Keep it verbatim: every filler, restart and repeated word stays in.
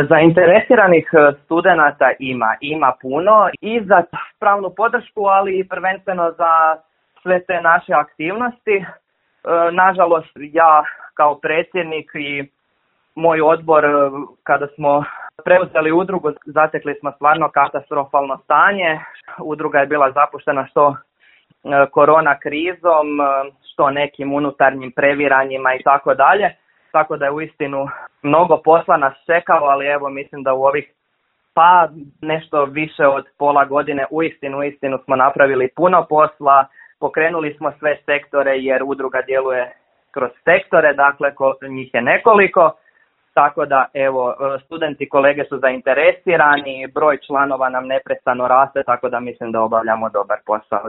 Zainteresiranih studenata ima, ima puno i za pravnu podršku, ali i prvenstveno za sve te naše aktivnosti. Nažalost, ja kao predsjednik i moj odbor, kada smo preuzeli udrugu, zatekli smo stvarno katastrofalno stanje. Udruga je bila zapuštena što korona krizom, što nekim unutarnjim previranjima i tako dalje. Tako da je uistinu mnogo posla nas čekalo, ali evo mislim da u ovih pa nešto više od pola godine uistinu, uistinu smo napravili puno posla. Pokrenuli smo sve sektore jer udruga djeluje kroz sektore, dakle njih je nekoliko. Tako da evo studenti i kolege su zainteresirani, broj članova nam neprestano raste, tako da mislim da obavljamo dobar posao.